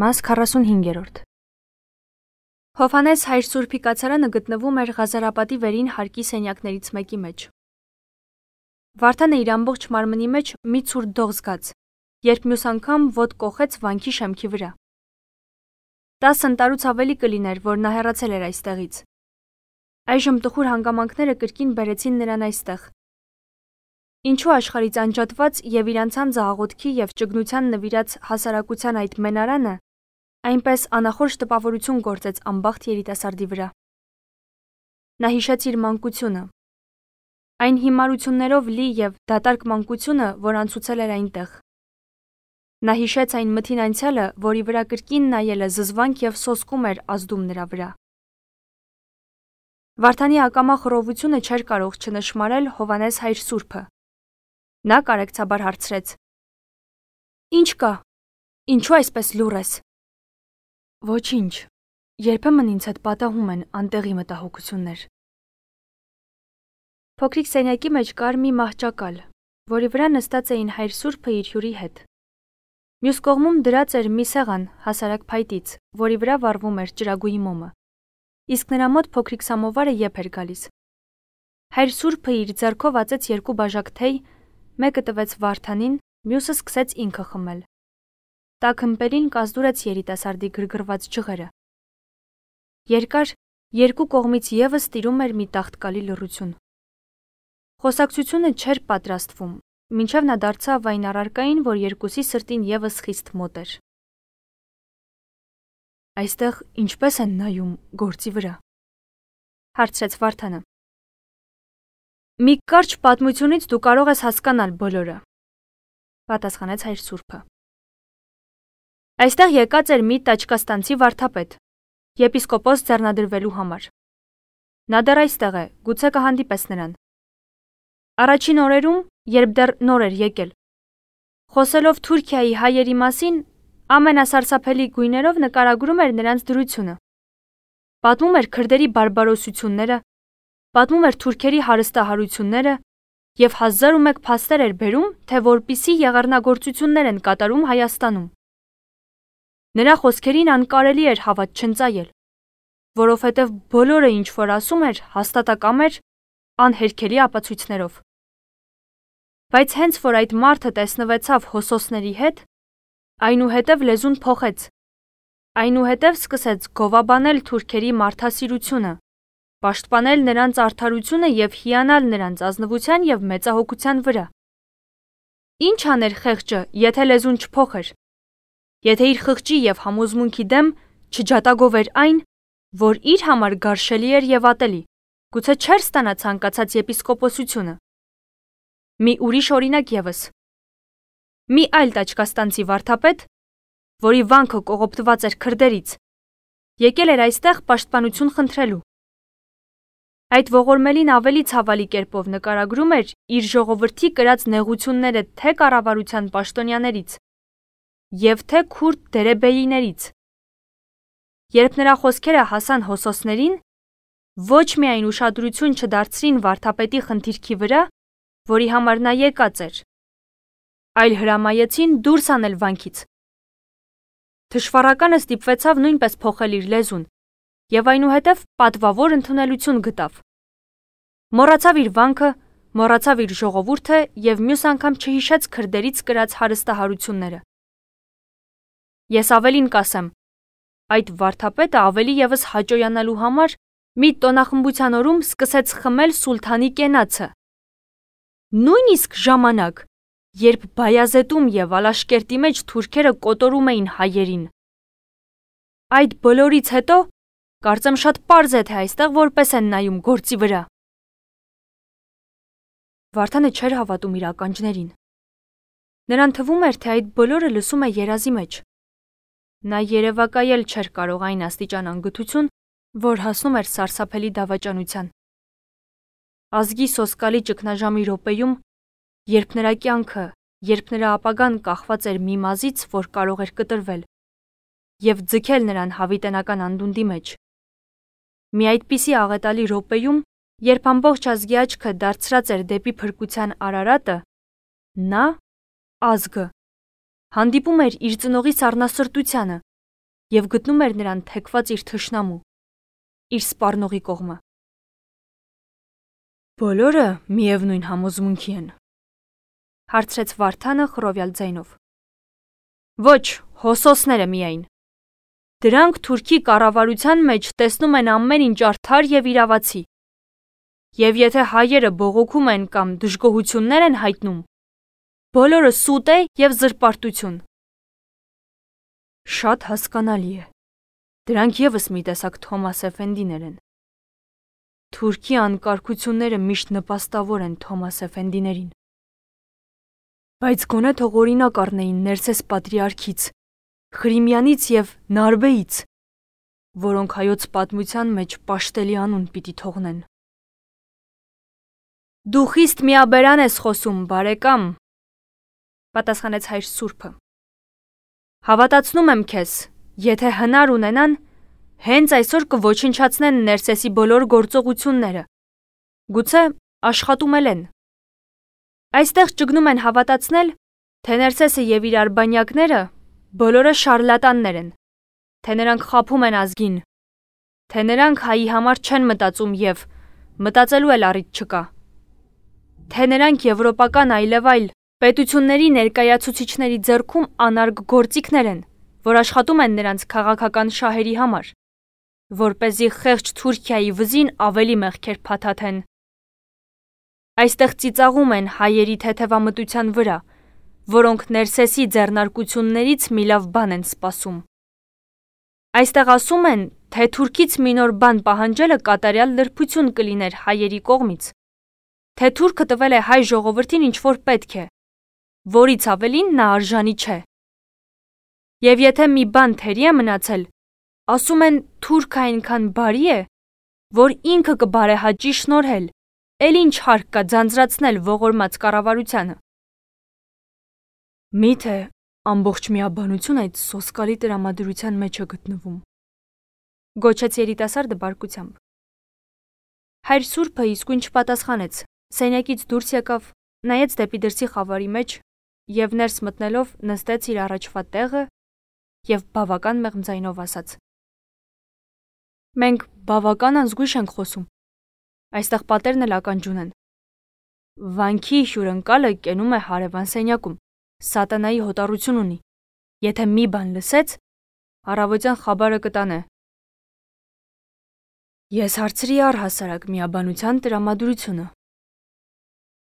Մաս 45-րդ Հովհաննես հայր Սուրբի կացարանը գտնվում էր Ղազարապատի վերին հարկի սենյակներից մեկի մեջ։ Վարդանը իր ամբողջ մարմնի մեջ մի ցուրտ դող զգաց, երբ մյուս անգամ ոտ կոխեց վանքի շեմքի վրա։ 10 ընտարուց ավելի կլիներ, որ նա հեռացել էր այստեղից։ Այժմ տխուր հանգամանքները կրկին բերեցին նրան այստեղ։ Ինչու աշխարհից անջատված եւ իր անցանձը աղոթքի եւ ճգնության նվիրած հասարակության այդ մենարանը այնպես անախորժ տպավորություն գործեց անբախտ երիտասարդի վրա։ Նա հիշեց իր մանկությունը, այն հիմարություններով լի եւ դատարկ մանկությունը, որ անցուցել էր այնտեղ։ Նա հիշեց այն մթին անցյալը, որի վրա կրկին նայելը զզվանք եւ սոսկում էր ազդում նրա վրա։ Վարդանի ակամա խռովությունը չէր կարող չնշմարել Հովհաննես հայր Սուրբը։ Նա կարեկցաբար հարցրեց. Ինչ կա, ինչու այսպես լուռ ես։ Ոչինչ, երբեմն ինձ հետ պատահում են անտեղի մտահոգություններ։ Փոքրիկ սենյակի մեջ կար մի մահճակալ, որի վրա նստած էին հայր Սուրբը իր հյուրի հետ։ Մյուս կողմում դրած էր մի սեղան հասարակ փայտից, որի վրա վառվում էր ճրագույի մոմը, իսկ նրա մոտ փոքրիկ սամովարը եփ էր գալիս։ Հայր Սուրբը իր ձեռքով ածեց 2 բաժակ թեյ, մեկը տվեց Վարդանին, մյուսը սկսեց ինքը խմել։ Տաք ըմպելին կազդուրեց երիտասարդի գրգռված ջղերը։ Երկար, 2 կողմից եւս տիրում էր մի տաղտկալի լռություն։ Խոսակցությունը չէր պատրաստվում, մինչև նա դարձավ այն առարկային, որ երկուսի սրտին եւս խիստ մոտ էր։ Այստեղ ինչպես են նայում գործի վրա, հարցրեց Վարդանը։ Մի կարճ պատմությունից դու կարող ես հասկանալ բոլորը, պատասխանեց հայր Սուրբը։ Այստեղ եկած էր մի տաճկաստանցի վարդապետ, եպիսկոպոս ձեռնադրվելու համար։ Նա դեռ այստեղ է, գուցե կհանդիպես նրան։ Առաջին օրերում, երբ դեռ նոր էր եկել, խոսելով Թուրքիայի հայերի մասին, ամենասարսափելի գույներով նկարագրում էր նրանց դրությունը։ Պատմում էր քրդերի բարբարոսությունները, պատմում էր թուրքերի հարստահարությունները եւ 1001 փաստեր էր բերում, թե որպիսի եղեռնագործություններ են կատարում Հայաստանում։ Նրա խոսքերին անկարելի էր հավատ չընծայել, որովհետև բոլորը ինչ որ ասում էր, հաստատակամ էր անհերքելի ապացույցներով։ Բայց հենց որ այդ մարդը տեսնվեցավ հոսոսների հետ, այնուհետև լեզուն փոխեց, այնուհետև սկսեց գովաբանել թուրքերի մարդասիրությունը, պաշտպանել նրանց արդարությունը եւ հիանալ նրանց ազնվության եւ մեծահոգության վրա։ Ինչ աներ խեղճը, եթե լեզուն չփոխեր, եթե իր խղճի եւ համոզմունքի դեմ չջատագովեր այն, որ իր համար գարշելի էր եւ ատելի, գուցե չէր ստանա ցանկացած եպիսկոպոսությունը։ Մի ուրիշ օրինակ եւս։ Մի այլ տաճկաստանցի վարդապետ, որի վանքը կողոպտված էր քրդերից, եկել էր այստեղ պաշտպանություն խնդրելու։ Այդ ողորմելին ավելի ցավալի կերպով նկարագրում էր իր ժողովրդի կրած նեղությունները թե կառավարության պաշտոնյաներից եւ թե քուրդ դերեբեիներից։ Երբ նրա խոսքերը հասան հոսոսներին, ոչ միայն ուշադրություն չդարձրին վարդապետի խնդիրքի վրա, որի համար նա եկած էր, այլ հրամայեցին դուրս անել վանքից։ Թշվառականը ստիպվեցավ նույնպես փոխել իր լեզուն եւ այնուհետև պատվավոր ընդունելություն գտավ։ Մոռացավ իր վանքը, մոռացավ իր ժողովուրդը եւ մյուս անգամ չհիշեց քրդերից կրած հարստահարությունները։ Ես ավելին կասեմ, այդ վարդապետը ավելի եւս հաճոյանալու համար մի տոնախմբության օրում սկսեց խմել սուլթանի կենացը։ Նույնիսկ ժամանակ, երբ Բայազետում եւ Ալաշկերտի մեջ թուրքերը կոտորում էին հայերին։ Այդ բոլորից հետո կարծեմ շատ պարզ է, թե այստեղ որպես են նայում գործի վրա։ Վարդանը չէր հավատում իր ականջներին։ Նրան թվում էր, թե այդ բոլորը լսում է երազի մեջ։ Նա երևակայել չէր կարող այն աստիճան անգթություն, որ հասնում էր սարսափելի դավաճանության։ Ազգի սոսկալի ճգնաժամի րոպեում, երբ նրա կյանքը, երբ նրա ապագան կախված էր մի մազից, որ կարող էր կտրվել եւ ձգել նրան հավիտենական անդունդի մեջ։ Մի այդպիսի աղետալի րոպեում, երբ ամբողջ ազգի աչքը դարձրած էր դեպի փրկության Արարատը, նա, ազգը, հանդիպում էր իր ծնողի սառնասրտությանը, և գտնում էր նրան թեքված իր թշնամու, իր սպառնողի կողմը։ Բոլորը միևնույն համոզմունքի են, հարցրեց Վարդանը խռովյալ ձայնով։ Ոչ, հոսոսները միայն։ Դրանք Թուրքի կառավարության մեջ տեսնում են ամեն ինչ արդար և իրավացի։ Եվ եթե հայերը բողոքում են կամ դժգոհություններ են հայտնում, բոլորը սուտ է և զրպարտություն։ Շատ հասկանալի է։ Դրանք ևս մի տեսակ Թոմաս Էֆենդիներ են։ Թուրքի անկարգությունները միշտ նպաստավոր են Թոմաս Էֆենդիներին։ Բայց գոնե թող օրինակ առնեին Ներսես պատրիարքից, Խրիմյանից և Նարբեից, որոնք հայոց պատմության մեջ պաշտելի անուն պիտի թողնեն։ Դու խիստ միաբերան ես խոսում, բարեկամ, պատասխանեց հայր Սուրբը։ Հավատացնում եմ քեզ, եթե հնար ունենան, հենց այսօր կոչնչացնեն Ներսեսի բոլոր գործողությունները, գուցե աշխատում էլ են։ Այստեղ ճգնում են հավատացնել, թե Ներսեսը և իր արբանյակները բոլորը շարլատաններ են, թե նրանք խաբում են ազգին, թե նրանք հայի համար չեն մտածում և մտածելու էլ առիթ չկա, թե նրանք եվրոպական այլևայլ պետությունների ներկայացուցիչների ձեռքում անարգ գործիքներ են, որ աշխատում են նրանց քաղաքական շահերի համար, որպեսզի խեղճ Թուրքիայի վզին ավելի մեղքեր փաթաթեն։ Այստեղ ծիծաղում են հայերի թեթևամտության վրա, որոնք Ներսեսի ձեռնարկություններից մի լավ բան են սպասում։ Այստեղ ասում են, թե Թուրքից մի նոր բան պահանջելը կատարյալ լրբություն կլիներ հայերի կողմից, թե Թուրքը տվել է հայ ժողովրդին ինչ-որ պետք է, որից ավելին նա արժանի չէ։ Եվ եթե մի բան թերի է մնացել, ասում են Թուրքը այնքան բարի է, որ ինքը կբարեհաճի շնորհել, էլ ինչ հարկ կա ձանձրացնել ողորմած կառավարությանը։ Միթե ամբողջ միաբանություն այդ սոսկալի տրամադրության մեջ է գտնվում, գոչեց երիտասարդը բարկությամբ։ Հայր Սուրբը իսկույն չպատասխանեց, սենյակից դուրս եկավ, նայեց դեպի դրսի խավարի մեջ և ներս մտնելով նստեց իր առաջվա տեղը և բավական մեղմ ձայնով ասաց. Մենք բավական անզգույշ ենք խոսում, այստեղ պատերն էլ ականջուն են։ Վանքի հյուրընկալը կենում է հարևան սենյակում, սատանայի հոտառություն ունի, եթե մի բան լսեց, առավոտյան խաբարը կտանե։ Ես հարցրի առհասարակ միաբանության տրամադրությունը,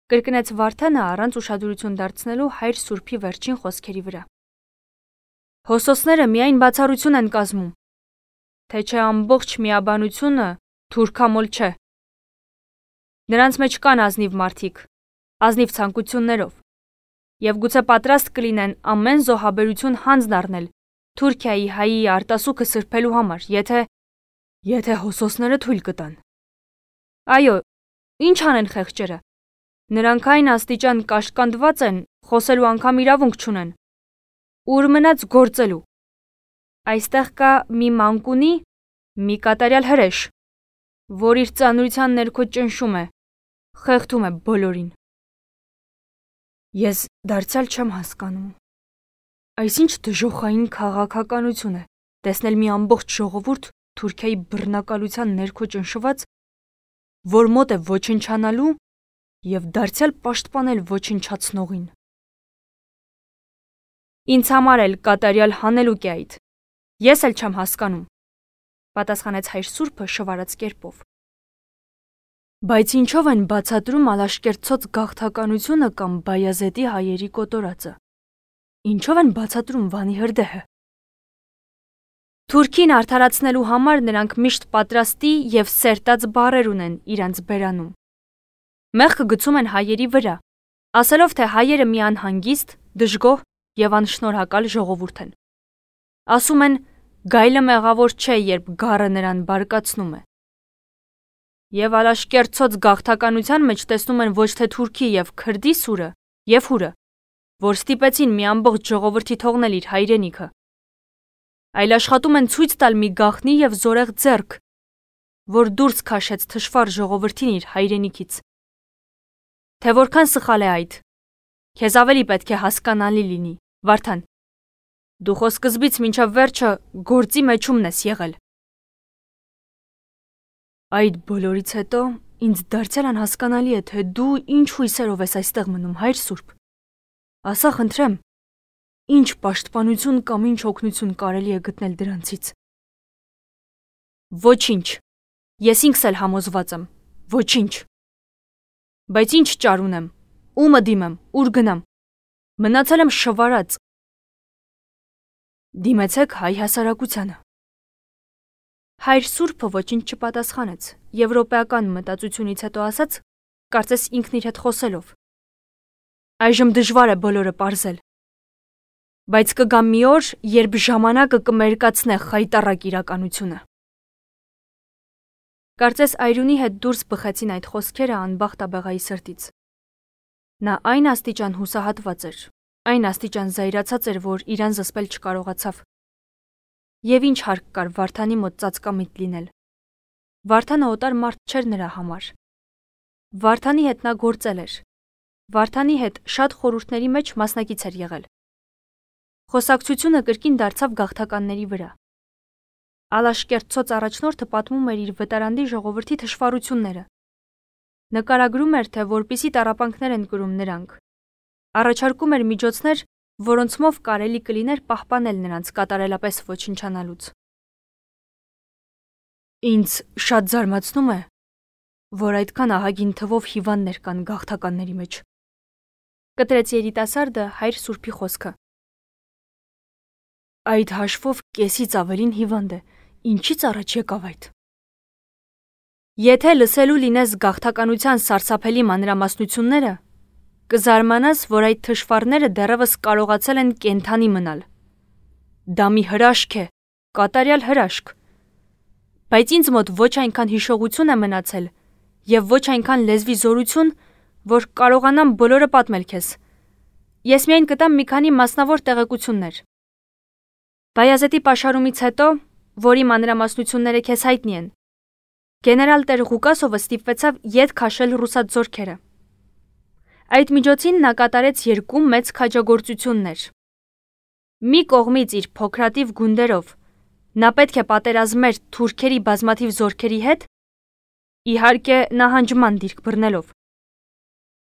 կրկնեց Վարդանը առանց ուշադրություն դարձնելու հայր Սուրբի վերջին խոսքերի վրա։ Հոսոսները միայն բացառություն են կազմում, թե չէ ամբողջ միաբանությունը թուրքամոլ չէ։ Նրանց մեջ կան ազնիվ մարդիկ, ազնիվ ցանկություններով, և գուցե պատրաստ կլինեն ամեն զոհաբերություն հանձն առնել Թուրքիայի հայի արտասուքը սրբելու համար, եթե հոսոսները թույլ կտան։ Այո, ինչ անեն խեղճերը։ Նրանք այն աստիճան կաշկանդված են, խոսելու անգամ իրավունք չունեն։ Ուր մնաց գործելու։ Այստեղ կա մի մանկունի, մի կատարյալ հրեշ, որ իր ծանրության ներքո ճնշում է, խեղդում է բոլորին։ Ես դարձյալ չեմ հասկանում։ Այսինչ դժոխային քաղաքականություն է տեսնել մի ամբողջ ժողովուրդ Թուրքիայի բռնակալության ներքո ճնշված, որ մոտ է ոչնչանալու և դարձյալ պաշտպանել ոչնչացնողին։ Ինձ համար էլ կատարյալ հանելուկ է այդ։ Ես էլ չեմ հասկանում, պատասխանեց հայր Սուրբը շվարած կերպով։ Բայց ինչով են բացատրում Ալաշկերտցոց գաղթականությունը կամ Բայազետի հայերի կոտորածը։ Ինչով են բացատրում Վանի հրդեհը։ Թուրքին արդարացնելու համար նրանք միշտ պատրաստի և սերտած բառեր ունեն իրանց բերանում։ Մեղքը գցում են հայերի վրա, ասելով, թե հայերը մի անհանգիստ, դժգոհ և անշնորհակալ ժողովուրդ են։ Ասում են, գայլը մեղավոր չէ, երբ գառը նրան բարկացնում է։ Եվ Ալաշկերտցոց գաղթականության մեջ տեսնում են ոչ թե թուրքի և քրդի սուրը և հուրը, որ ստիպեցին մի ամբողջ ժողովրդի թողնել իր հայրենիքը, այլ աշխատում են ցույց տալ մի գաղտնի և զորեղ ձեռք, որ դուրս քաշեց թշվառ ժողովրդին իր հայրենիքից։ Թե որքան սխալ է այդ, քեզ ավելի պետք է հասկանալի լինի, Վարդան։ Դու խո սկզբից մինչև վերջը գործի մեջումն ես եղել։ Այդ բոլորից հետո ինձ դարձյալ անհասկանալի է, թե դու ինչ հույսերով ես այստեղ մնում, Հայր Սուրբ։ Ասա խնդրեմ, ինչ պաշտպանություն կամ ինչ օգնություն կարելի է գտնել դրանցից։ Ոչինչ։ Ես ինքս էլ համոզված եմ։ Ոչինչ։ Բայց ինչ ճար ունեմ, ումը դիմեմ, ուր գնամ։ Մնացել եմ շվարած։ Դիմեցեք հայ հասարակությանը։ Հայր Սուրբը ոչինչ չպատասխանեց, եվրոպեական մտածությունից հետո ասաց, կարծես ինքն իր հետ խոսելով։ Այժմ դժվար է բոլորը պարզել։ Բայց կգա մի օր, երբ ժամանակը կմերկացնե խայտառակ իրականությունը։ Կարծես Այրունի հետ դուրս բխեցին այդ խոսքերը անբախտաբեղայի սրտից։ Նա այն աստիճան հուսահատված էր, այն աստիճան զայրացած էր, որ իրան զսպել չկարողացավ։ Եվ ինչ հարկ կար Վարդանի մոտ ծածկամիտ լինել։ Վարդանը օտար մարդ չէր նրա համար։ Վարդանի հետ նա գործել էր։ Վարդանի հետ շատ խորհուրդների մեջ մասնակից էր եղել։ Խոսակցությունը կրկին դարձավ գաղթականների վրա։ Ալաշկերտցոց առաջնորդը պատմում էր իր վտարանդի ժողովրդի թշվառությունները։ Նկարագրում էր, թե որպիսի տառապանքներ են կրում նրանք։ Առաջարկում էր միջոցներ, որոնցմով կարելի կլիներ պահպանել նրանց կատարելապես ոչնչանալուց։ Ինձ շատ զարմացնում է, որ այդքան ահագին թվով հիվանդներ կան գաղթականների մեջ։ Կտրեց երիտասարդը Հայր Սուրբի խոսքը։ Այդ հաշվով կեսից ավելին հիվանդ է, ինչից առաջ եկավ այդ։ Եթե լսելու լինես գաղթականության սարսափելի մանրամասնությունները, կզարմանաս, որ այդ թշվառները դեռևս կարողացել են կենդանի մնալ։ Դա մի հրաշք է, կատարյալ հրաշք։ Բայց ինձ մոտ ոչ այնքան հիշողություն է մնացել և ոչ այնքան լեզվի զորություն, որ կարողանամ բոլորը պատմել քեզ։ Ես միայն կտամ մի քանի մասնավոր տեղեկություններ։ Բայազետի պաշարումից հետո, որի մանրամասնությունները քեզ հայտնի են, գեներալ տեր Ղուկասովը ստիպվեցավ ետ քաշել ռուսաց զորքերը։ Այդ միջոցին նա կատարեց երկու մեծ քաջագործություններ։ Մի կողմից իր փոքրաթիվ գունդերով նա պետք է պատերազմեր թուրքերի բազմաթիվ զորքերի հետ, իհարկե նահանջման դիրք բռնելով։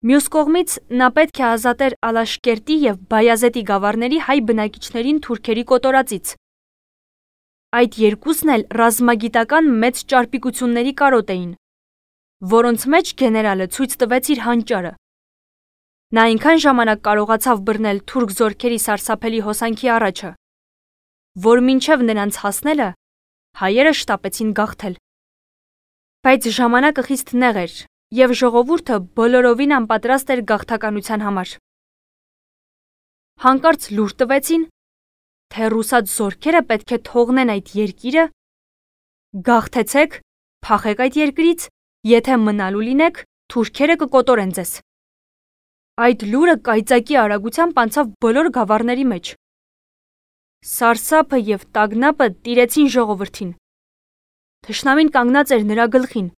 Մյուս կողմից նա պետք է ազատեր Ալաշկերտի և Բայազետի գավառների հայ բնակիչներին թուրքերի կոտորածից։ Այդ երկուսն էլ ռազմագիտական մեծ ճարպիկությունների կարոտ էին, որոնց մեջ գեներալը ցույց տվեց իր հանճարը։ Նա այնքան ժամանակ կարողացավ բռնել թուրք զորքերի սարսափելի հոսանքի առաջը, որ մինչև նրանց հասնելը հայերը շտապեցին գաղթել։ Բայց ժամանակը խիստ նեղ էր, և ժողովուրդը բոլորովին անպատրաստ էր գաղթականության համար։ Հանկարծ լուր տվեցին, թե ռուսաց զորքերը պետք է թողնեն այդ երկիրը, գաղթեցեք, փախեք այդ երկրից, եթե մնալու լինեք, թուրքերը կկոտորեն ձեզ։ Այդ լուրը կայծակի արագությամբ անցավ բոլոր գավառների մեջ։ Սարսափը և տագնապը տիրեցին ժողովրդին։ Թշնամին կանգնած էր նրա գլխին,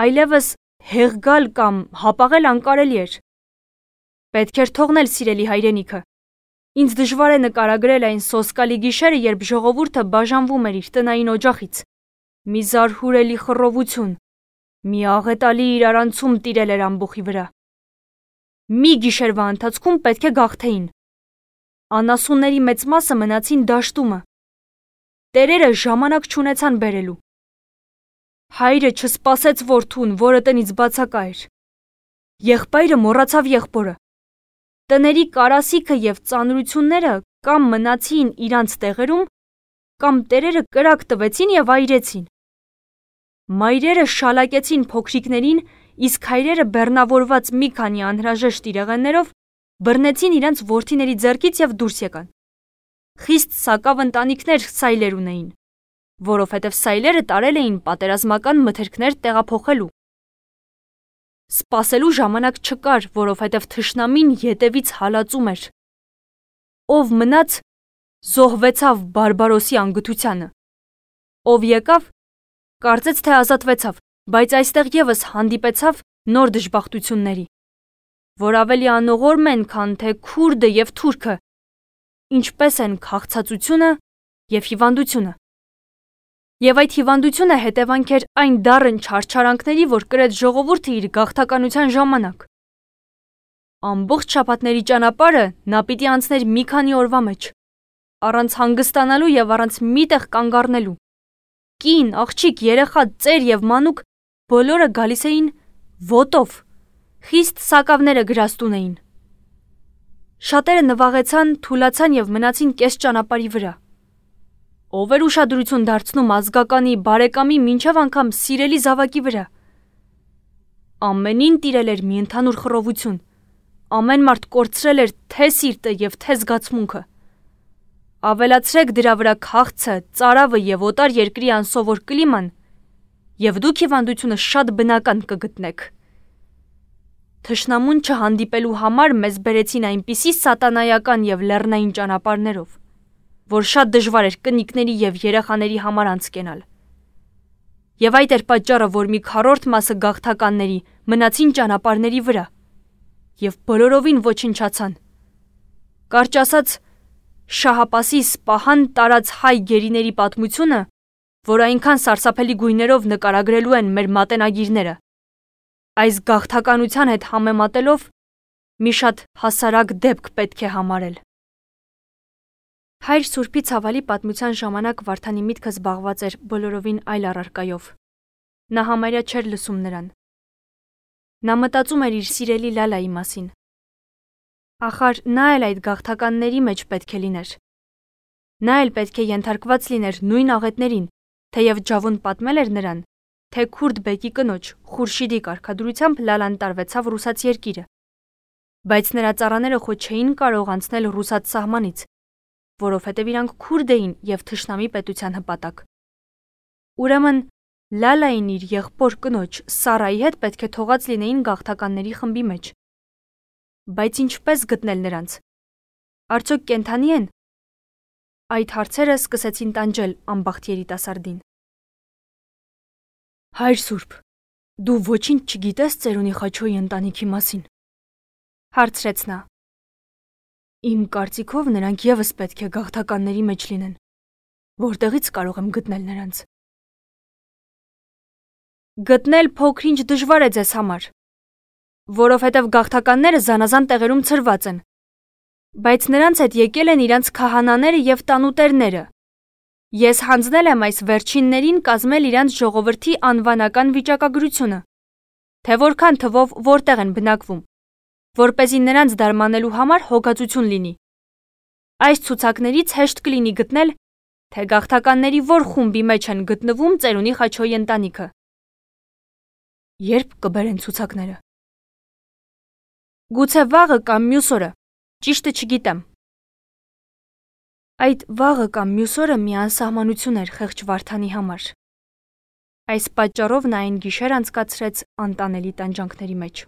այլևս հեղգալ կամ հապաղել անկարելի էր։ Պետք էր թողնել սիրելի հայրենիքը։ Ինձ դժվար է նկարագրել այն սոսկալի գիշերը, երբ ժողովուրդը բաժանվում էր իր տնային օջախից։ Մի զարհուրելի խռովություն, մի աղետալի իրարանցում տիրել էր ամբոխի վրա։ Մի գիշերվա ընթացքում պետք է գաղթեին։ Անասունների մեծ մասը մնացին դաշտումը։ Տերերը ժամանակ չունեցան բերելու։ Հայրը չսպասեց որդուն, որը տնից բացակա էր։ Եղբայրը մոռացավ եղբորը։ Տների կարասիքը և ծանրությունները կամ մնացին իրանց տեղերում, կամ տերերը կրակ տվեցին և այրեցին։ Մայրերը շալակեցին փոքրիկներին, իսկ հայրերը բեռնավորված մի քանի անհրաժեշտ իրեղեններով բռնեցին իրենց որդիների ձեռքից և դուրս եկան։ Խիստ սակավ ընտանիքներ սայլեր ունեին, որովհետև սայլերը տարել էին պատերազմական մթերքներ տեղափոխելու։ Սպասելու ժամանակ չկար, որովհետև թշնամին ետևից հալածում էր։ Ով մնաց, զոհվեցավ բարբարոսի անգթությանը։ Ով եկավ, կարծեց, թե ազատվեցավ, բայց այստեղ ևս հանդիպեցավ նոր դժբախտությունների, որ ավելի անողորմ են, քան թե քուրդը և թուրքը, ինչպես են քաղցածությունը և հիվանդությունը։ Եվ այդ հիվանդությունը հետևանք էր այն դառն չարչարանքների, որ կրեց ժողովուրդը իր գաղթականության ժամանակ։ Ամբողջ շաբաթների ճանապարհը նա պիտի անցներ մի քանի օրվա մեջ, առանց հանգստանալու և առանց մի տեղ կանգ առնելու։ Կին, աղջիկ, երեխա, ծեր և մանուկ բոլորը գալիս էին ոտով, խիստ սակավները գրաստուն էին։ Շատերը նվաղեցան, թուլացան և մնացին կես ճանապարհի վրա։ Ով էր ուշադրություն դարձնում ազգականի, բարեկամի, մինչև անգամ սիրելի զավակի վրա։ Ամենին տիրել էր մի ընդհանուր խռովություն։ Ամեն մարդ կորցրել էր թե սիրտը և թե զգացմունքը։ Ավելացրեք դրա վրա քաղցը, ծարավը և օտար երկրի անսովոր կլիման, և դուք հիվանդությունը շատ բնական կգտնեք։ Թշնամուն չհանդիպելու համար մեզ բերեցին այնպիսի սատանայական և լեռնային ճանապարհներով, որ շատ դժվար էր կնիկների և երեխաների համար անցկենալ։ Եվ այդ էր պատճառը, որ մի քառորդ մասը գաղթականների մնացին ճանապարհների վրա և բոլորովին ոչնչացան։ Կարճ ասած, շահապասի Սպահան տարած հայ գերիների պատմությունը, որ այնքան սարսափելի գույներով նկարագրելու են մեր մատենագիրները, այս գաղթականության հետ համեմատելով մի շատ հասարակ դեպք պետք է համարել։ Հայր Սուրբի ցավալի պատմության ժամանակ Վարդանի միտքը զբաղված էր բոլորովին այլ առարկայով։ Նա համարյա չէր լսում նրան։ Նա մտածում էր իր սիրելի Լալայի մասին։ Ախար նա էլ այդ գաղթականների մեջ պետք է լիներ։ Նա էլ պետք է ենթարկված լիներ նույն աղետներին, թեև Ջավուն պատմել էր նրան, թե քուրդ բեկի կնոջ Խուրշիդի կարգադրությամբ Լալան տարվեցավ ռուսաց երկիրը, բայց նրա ծառաները խո չէին կարող անցնել ռուսաց սահմանից, որովհետև իրանք քուրդ էին և թշնամի պետության հպատակ։ Ուրեմն Լալային իր եղբոր կնոջ Սարայի հետ պետք է թողած լինեին գաղթականների խմբի մեջ։ Բայց ինչպես գտնել նրանց։ Արդյոք կենդանի են։ Այդ հարցերը սկսեցին տանջել անբախտ երիտասարդին։ Հայր Սուրբ, դու ոչինչ չգիտես ծերունի Խաչոյի ընտանիքի մասին, հարցրեց նա։ Իմ կարծիքով նրանք ևս պետք է գաղթականների մեջ լինեն, որտեղից կարող եմ գտնել նրանց։ Գտնել փոքր-ինչ դժվար է ձեզ համար, որովհետև գաղթականները զանազան տեղերում ցրված են, բայց նրանց հետ եկել են իրանց քահանաները և տանուտերները։ Ես հանձնել եմ այս վերջիններին կազմել իրանց ժողովրդի անվանական վիճակագրությունը, թե որքան թվով որտեղ են բնակվում, որպեսզի նրանց դարմանելու համար հոգածություն լինի։ Այս ցուցակներից հեշտ կլինի գտնել, թե գաղթականների որ խումբի մեջ են գտնվում ծերունի Խաչոյի ընտանիքը։ Երբ կբերեն ցուցակները։ Գուցե վաղը կամ մյուս օրը, ճիշտը չգիտեմ։ Այդ վաղը կամ մյուս օրը մի անսահմանություն էր խեղճ Վարդանի համար։ Այս պատճառով նա այն գիշեր անցկացրեց անտանելի տանջանքների մեջ։